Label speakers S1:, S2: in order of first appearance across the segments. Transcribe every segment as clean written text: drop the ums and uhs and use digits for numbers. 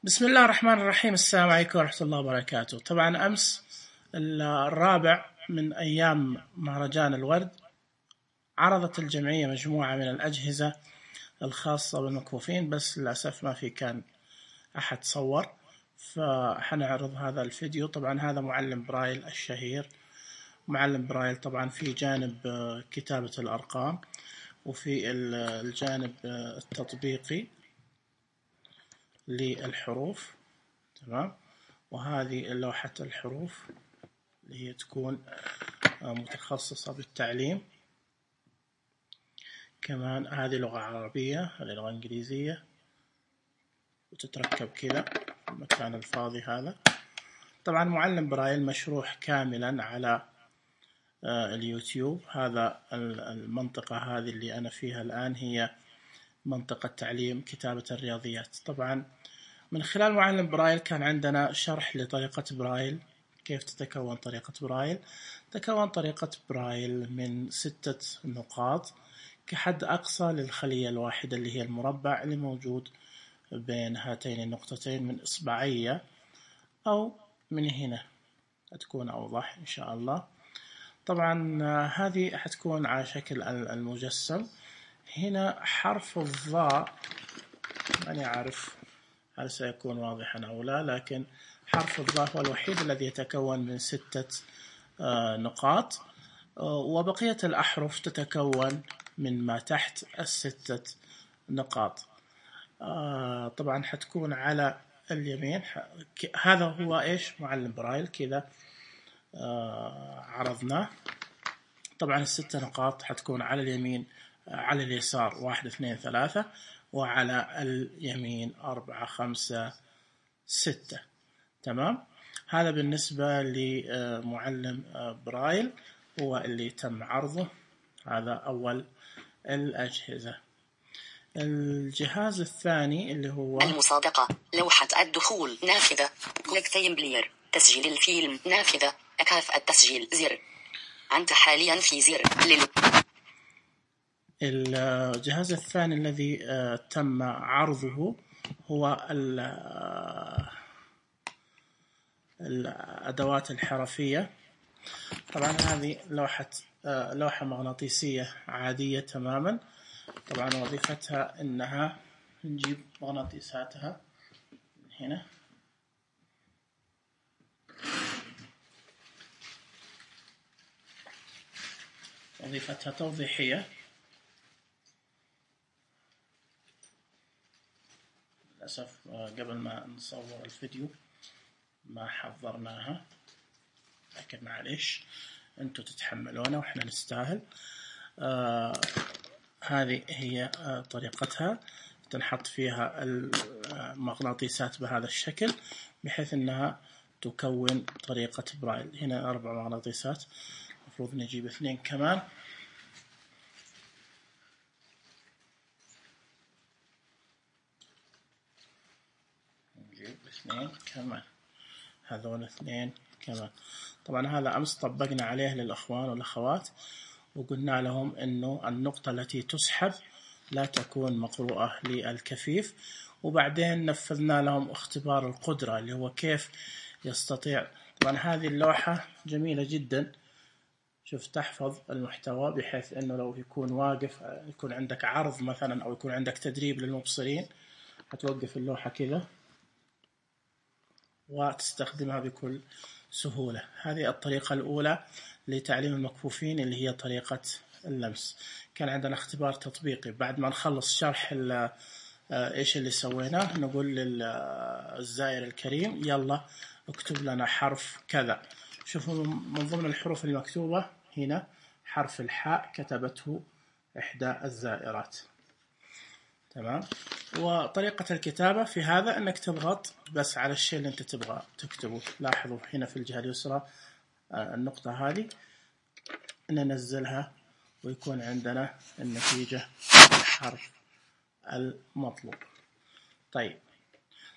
S1: بسم الله الرحمن الرحيم. السلام عليكم ورحمة الله وبركاته. طبعا أمس الرابع من أيام مهرجان الورد عرضت الجمعية مجموعة من الأجهزة الخاصة بالمكفوفين، بس للأسف ما في كان أحد صور، فحنعرض هذا الفيديو. طبعا هذا معلم برايل الشهير. معلم برايل طبعا في جانب كتابة الأرقام وفي الجانب التطبيقي للحروف، تمام. وهذه لوحة الحروف اللي هي تكون متخصصة بالتعليم. كمان هذه لغة عربية، هذه لغة إنجليزية، وتتركب كذا في المكان الفاضي هذا. طبعا معلم برايل مشروح كاملا على اليوتيوب. هذا المنطقة هذه اللي أنا فيها الآن هي منطقة تعليم كتابة الرياضيات. طبعا من خلال معلم برايل كان عندنا شرح لطريقة برايل، كيف تتكون طريقة برايل. تكون طريقة برايل من 6 نقاط كحد أقصى للخلية الواحدة اللي هي المربع اللي موجود بين هاتين النقطتين من إصبعية أو من هنا، هتكون أوضح إن شاء الله. طبعا هذه حتكون على شكل المجسم. هنا حرف الضاء ماني عارف هل سيكون واضحا أو لا، لكن حرف الضاء هو الوحيد الذي يتكون من 6 نقاط، وبقية الأحرف تتكون من ما تحت 6 نقاط. طبعا حتكون على اليمين. هذا هو إيش معلم برايل كذا عرضناه. طبعا 6 نقاط حتكون على اليمين، على اليسار 1 2 3، وعلى اليمين 4 5 6. تمام. هذا بالنسبة لمعلم برايل هو اللي تم عرضه. هذا أول الأجهزة. الجهاز الثاني اللي هو
S2: المصادقة، لوحة الدخول، نافذة، كويك تايم بلاير، تسجيل الفيلم، نافذة، أكاف التسجيل، زر. أنت حاليا في زر
S1: الجهاز الثاني الذي تم عرضه هو الأدوات الحرفية. طبعا هذه لوحة مغناطيسية عادية تماما. طبعا وظيفتها إنها نجيب مغناطيساتها من هنا، وظيفتها توضيحية. للأسف قبل ما نصور الفيديو ما حضرناها، لكن معليش انتوا تتحملونا واحنا نستاهل. هذه هي طريقتها. تنحط فيها المغناطيسات بهذا الشكل بحيث انها تكون طريقة برايل. هنا 4 مغناطيسات، المفروض نجيب 2 كمان. نجيب 2 كمان، هذول 2 كمان. طبعا هذا أمس طبقنا عليه للأخوان والأخوات، وقلنا لهم إنه النقطة التي تسحب لا تكون مقروءة للكفيف. وبعدين نفذنا لهم اختبار القدرة اللي هو كيف يستطيع. طبعا هذه اللوحة جميلة جدا، شوف تحفظ المحتوى بحيث إنه لو يكون واقف، يكون عندك عرض مثلا أو يكون عندك تدريب للمبصرين، هتوقف اللوحة كذا وتستخدمها بكل سهولة. هذه الطريقة الأولى لتعليم المكفوفين اللي هي طريقة اللمس. كان عندنا اختبار تطبيقي. بعد ما نخلص شرح إيش اللي سويناه، نقول للزائر الكريم يلا اكتب لنا حرف كذا. شوفوا من ضمن الحروف المكتوبة هنا حرف الحاء كتبته إحدى الزائرات. تمام. وطريقة الكتابة في هذا أنك تضغط بس على الشيء اللي أنت تبغى تكتبه. لاحظوا هنا في الجهة اليسرى النقطة هذه ننزلها ويكون عندنا النتيجة الحرف المطلوب. طيب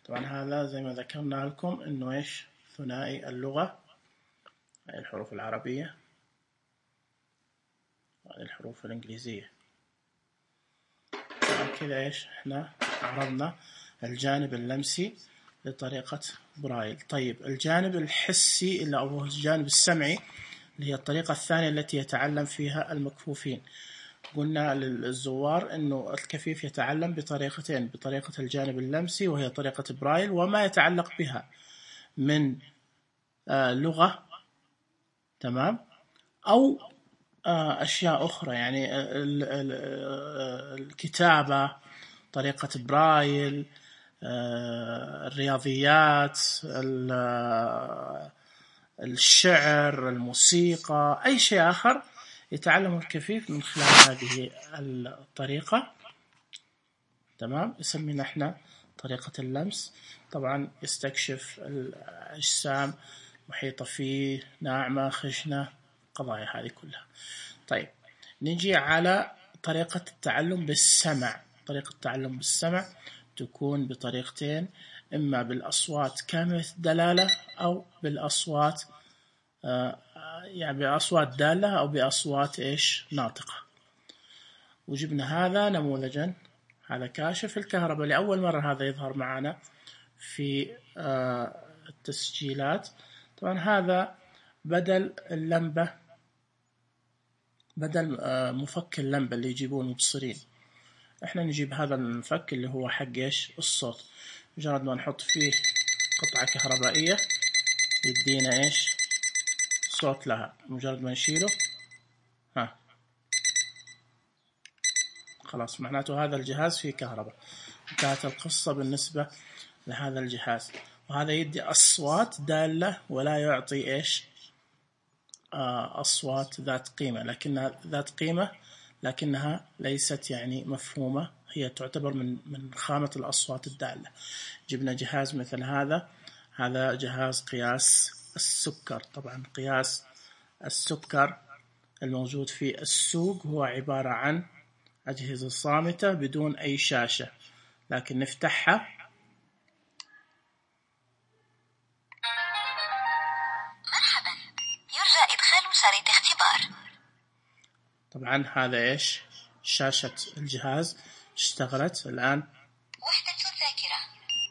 S1: طبعا هذا زي ما ذكرنا لكم أنه إيش ثنائي اللغة، هذه الحروف العربية وهذه الحروف الإنجليزية. كذا إيش إحنا عرضنا الجانب اللمسي لطريقة برايل. طيب الجانب الحسي اللي أو الجانب السمعي اللي هي الطريقة الثانية التي يتعلم فيها المكفوفين. قلنا للزوار أنه الكفيف يتعلم بطريقتين، بطريقة الجانب اللمسي وهي طريقة برايل وما يتعلق بها من لغة، تمام، أو أشياء أخرى، يعني الكتابة، طريقة برايل، الرياضيات، الشعر، الموسيقى، أي شيء آخر يتعلم الكفيف من خلال هذه الطريقة، تمام. يسمينا احنا طريقة اللمس. طبعا يستكشف الأجسام محيطة فيه، ناعمة، خشنة، قضايا هذه كلها. طيب نجي على طريقة التعلم بالسمع. طريقة التعلم بالسمع تكون بطريقتين، إما بالأصوات كاملة الدلالة أو بالأصوات يعني بأصوات دالة أو بأصوات ناطقة. وجبنا هذا نموذجا، هذا كاشف الكهرباء لأول مرة هذا يظهر معنا في التسجيلات. طبعا هذا بدل اللمبة، بدل مفك اللمبة اللي يجيبون مبصرين، احنا نجيب هذا المفك اللي هو حق الصوت. مجرد ما نحط فيه قطعة كهربائية يدينا صوت لها. مجرد ما نشيله خلاص معناته هذا الجهاز فيه كهرباء. انتهت القصة بالنسبة لهذا الجهاز. وهذا يدي أصوات دالة ولا يعطي أصوات ذات قيمة، لكنها ذات قيمة لكنها ليست يعني مفهومة، هي تعتبر من خامة الأصوات الدالة. جبنا جهاز مثل هذا جهاز قياس السكر. طبعا قياس السكر الموجود في السوق هو عبارة عن أجهزة صامتة بدون أي شاشة، لكن نفتحها
S2: مرحبا، يرجى إدخال شريط اختبار.
S1: طبعا هذا شاشة الجهاز اشتغلت الآن.
S2: وحدة الذاكرة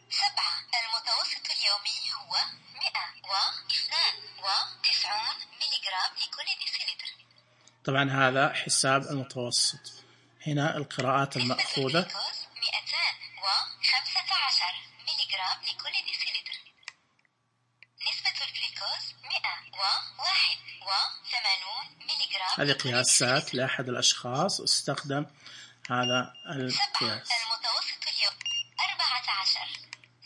S2: 7. المتوسط اليومي هو 192 ملغ لكل ديسيلتر.
S1: طبعا هذا حساب المتوسط. هنا القراءات المأخوذة
S2: 215 ملغ لكل ديسيلتر. نسبة الجلوكوز 181 ملغ.
S1: هذه قياسات لأحد الأشخاص استخدم هذا القياس.
S2: 7. المتوسط اليوم 14.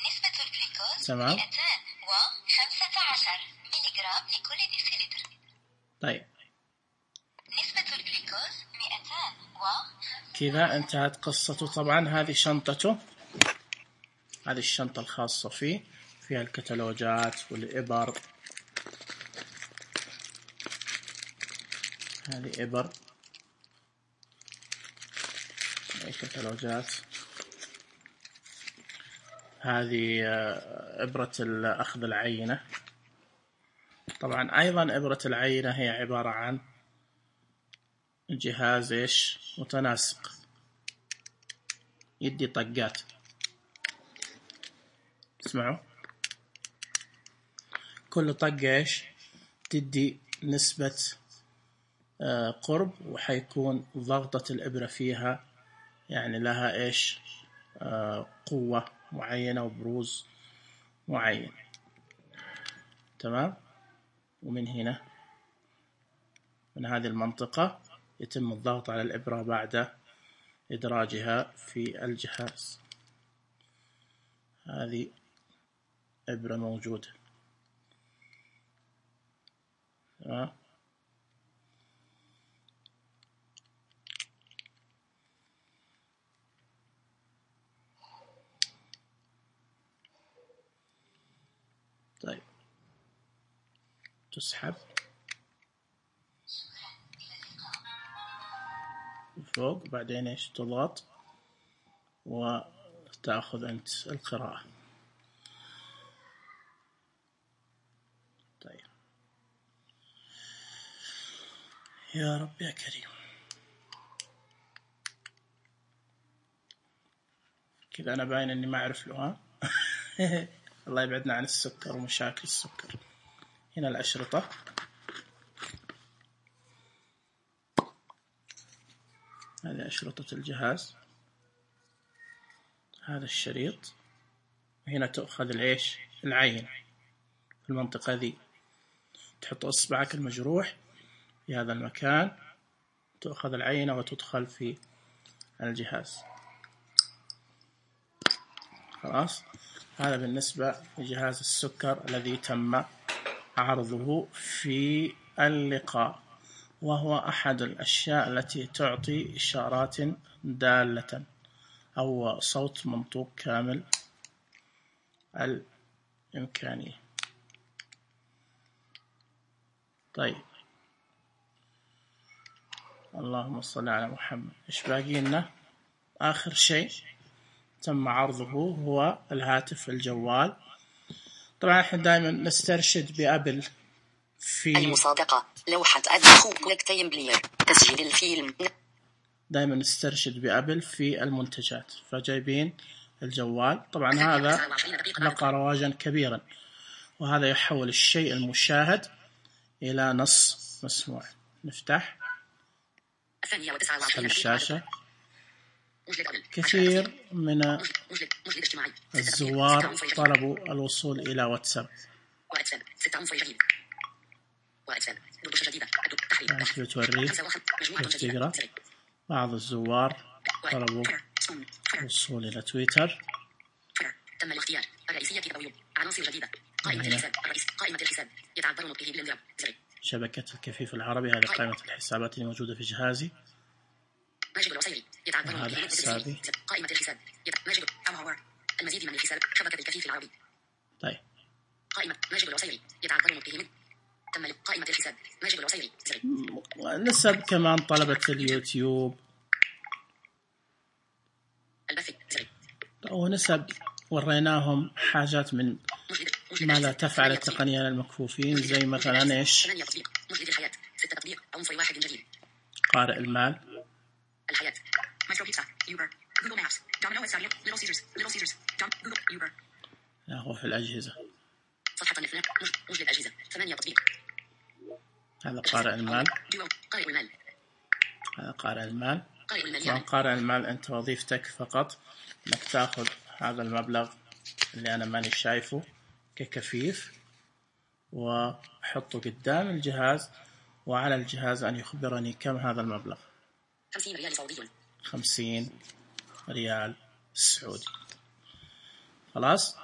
S2: نسبة الجلوكوز
S1: تمام.
S2: 215 ملغ لكل ديسيلتر.
S1: طيب
S2: نسبة الجلوكوز 200
S1: كذا انتهت قصته. طبعا هذه شنطته، هذه الشنطة الخاصة فيه، فيها الكتالوجات والإبر. هذه إبر، كتالوجات. هذه إبرة أخذ العينة. طبعا أيضا إبرة العينة هي عبارة عن جهاز متناسق، يدي طقات. اسمعوا، كل طقة تدي نسبة قرب، وحيكون ضغطة الإبرة فيها يعني لها قوة معينة وبروز معين، تمام. ومن هنا من هذه المنطقة يتم الضغط على الإبرة بعد إدراجها في الجهاز. هذه إبرة موجودة، تمام. طيب تسحب فوق، بعدين تضغط وتأخذ أنت القراءة. طيب يا رب يا كريم. كذا أنا باين إني ما أعرف له. الله يبعدنا عن السكر ومشاكل السكر. هنا الأشرطة، هذه أشرطة الجهاز، هذا الشريط، هنا تأخذ العين في المنطقة ذي، تحط إصبعك المجروح في هذا المكان، تأخذ العينة وتدخل في الجهاز. خلاص، هذا بالنسبة لجهاز السكر الذي تم عرضه في اللقاء، وهو أحد الأشياء التي تعطي إشارات دالة أو صوت منطوق كامل الإمكانية. طيب، اللهم صل على محمد. إيش باقي لنا؟ آخر شيء تم عرضه هو الهاتف الجوال. طبعا احنا دائما نسترشد بأبل في
S2: المصادقة، لوحة الدخول، كليك بلير، تسجيل الفيلم.
S1: دائما نسترشد بأبل في المنتجات، فجايبين الجوال. طبعا هذا لقى رواجا كبيرا، وهذا يحول الشيء المشاهد إلى نص مسموع. نفتح الشاشة، كثير من الزوار طلبوا الوصول إلى واتساب. بتوريه كيف تقرأ. بعض الزوار طلبوا الوصول إلى تويتر.
S2: تم الاختيار الرئيسية أو عناصر جديدة. قائمة الحساب الرئيس، قائمة الحساب يتعذر نطقه بالانضراب.
S1: شبكة الكفيف العربي، هذه قائمة الحسابات اللي موجودة في جهازي.
S2: ماجد العصيري يتعذر نطقه
S1: بالانضراب.
S2: قائمة الحساب ماجد المزيد من الحساب، شبكة الكفيف العربي.
S1: طيب،
S2: قائمة ماجد العصيري يتعذر نطقه من تم قائمة الحساب ماجد العصيري.
S1: نسب كمان طلبة اليوتيوب
S2: البث
S1: ونسب وريناهم حاجات من ماذا تفعل التقنية للمكفوفين، زي مثلا ايش؟
S2: مجلد الحياة 6 تطبيق عنصر واحد جديد.
S1: قارئ المال،
S2: الحياة، مايكرو بيتزا، يوبر، جوجل مابس، دومينو إتساريو، ليتل سيزرز، جوجل، يوبر.
S1: لا، هو في الأجهزة.
S2: صفحة النفلة، مجلد الأجهزة 8 تطبيق.
S1: هذا قارئ المال.
S2: قارئ المال.
S1: هذا قارئ المال.
S2: طبعا
S1: قارئ المال أنت وظيفتك فقط أنك تأخذ هذا المبلغ اللي أنا ماني شايفه ككفيف، وحطه قدام الجهاز، وعلى الجهاز أن يخبرني كم هذا المبلغ.
S2: 50 ريال سعودي.
S1: 50 ريال سعودي. خلاص.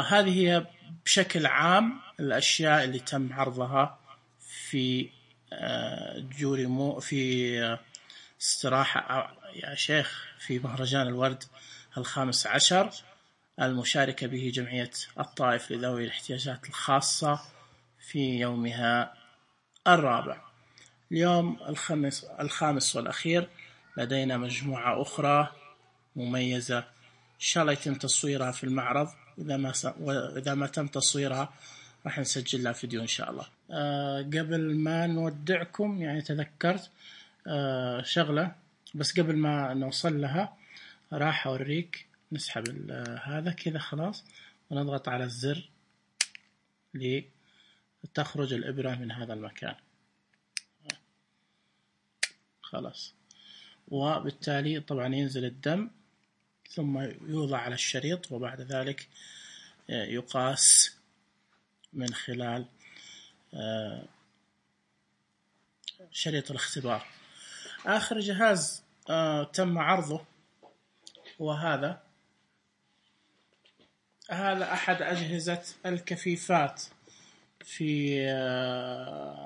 S1: هذه هي بشكل عام الأشياء اللي تم عرضها في جوريمو، في استراحة يا شيخ، في مهرجان الورد 15 المشاركة به جمعية الطائف لذوي الاحتياجات الخاصة في يومها الرابع. اليوم الخامس والأخير لدينا مجموعة أخرى مميزة إن شاء الله يتم تصويرها في المعرض، إذا ما تم تصويرها راح نسجل لها فيديو إن شاء الله. قبل ما نودعكم يعني تذكرت شغلة، بس قبل ما نوصل لها راح أوريك. نسحب هذا كذا خلاص، ونضغط على الزر لتخرج الإبرة من هذا المكان خلاص. وبالتالي طبعا ينزل الدم، ثم يوضع على الشريط، وبعد ذلك يقاس من خلال شريط الاختبار. آخر جهاز تم عرضه وهذا أحد أجهزة الكفيفات. في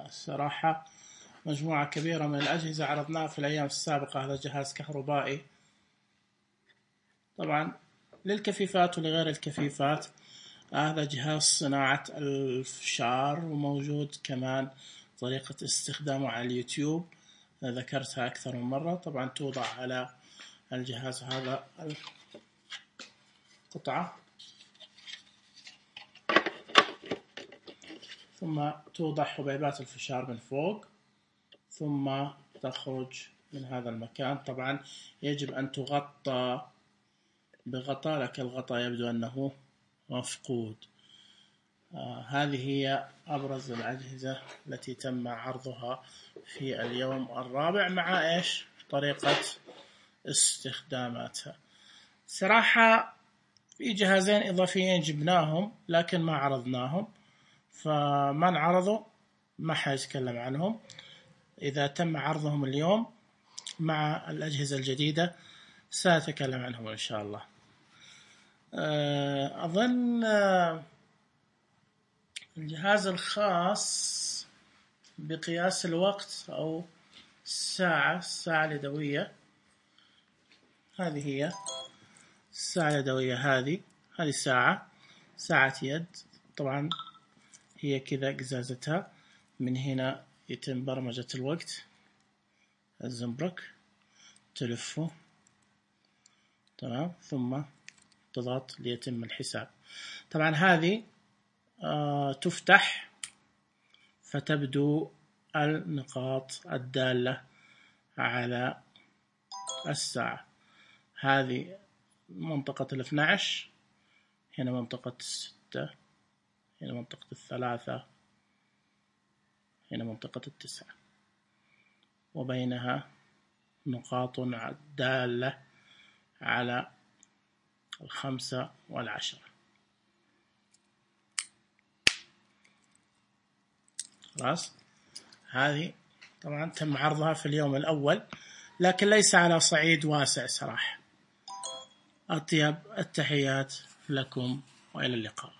S1: صراحة مجموعة كبيرة من الأجهزة عرضناها في الأيام السابقة. هذا جهاز كهربائي طبعا للكفيفات ولغير الكفيفات. هذا جهاز صناعة الفشار، وموجود كمان طريقة استخدامه على اليوتيوب، ذكرتها أكثر من مرة. طبعا توضع على الجهاز هذا القطعة، ثم توضع حبيبات الفشار من فوق، ثم تخرج من هذا المكان. طبعا يجب أن تغطى بغطاء، لك الغطاء يبدو أنه مفقود. هذه هي أبرز الأجهزة التي تم عرضها في اليوم الرابع مع إيش طريقة استخداماتها. صراحة في جهازين إضافيين جبناهم لكن ما عرضناهم، فمن عرضوا ما حيتكلم عنهم. إذا تم عرضهم اليوم مع الأجهزة الجديدة سأتكلم عنهم إن شاء الله. أظن الجهاز الخاص بقياس الوقت أو الساعة اليدوية، هذه هي الساعة اليدوية. هذه ساعة يد. طبعا هي كذا قزازتها، من هنا يتم برمجة الوقت، الزنبرك تلفه تمام، ثم تضغط ليتم الحساب. طبعا هذه تفتح فتبدو النقاط الدالة على الساعة. هذه منطقة 12، هنا منطقة 6، هنا منطقة 3، هنا منطقة 9، وبينها نقاط دالة على 5 و10. خلاص، هذه طبعا تم عرضها في اليوم الأول لكن ليس على صعيد واسع صراحة. أطيب التحيات لكم وإلى اللقاء.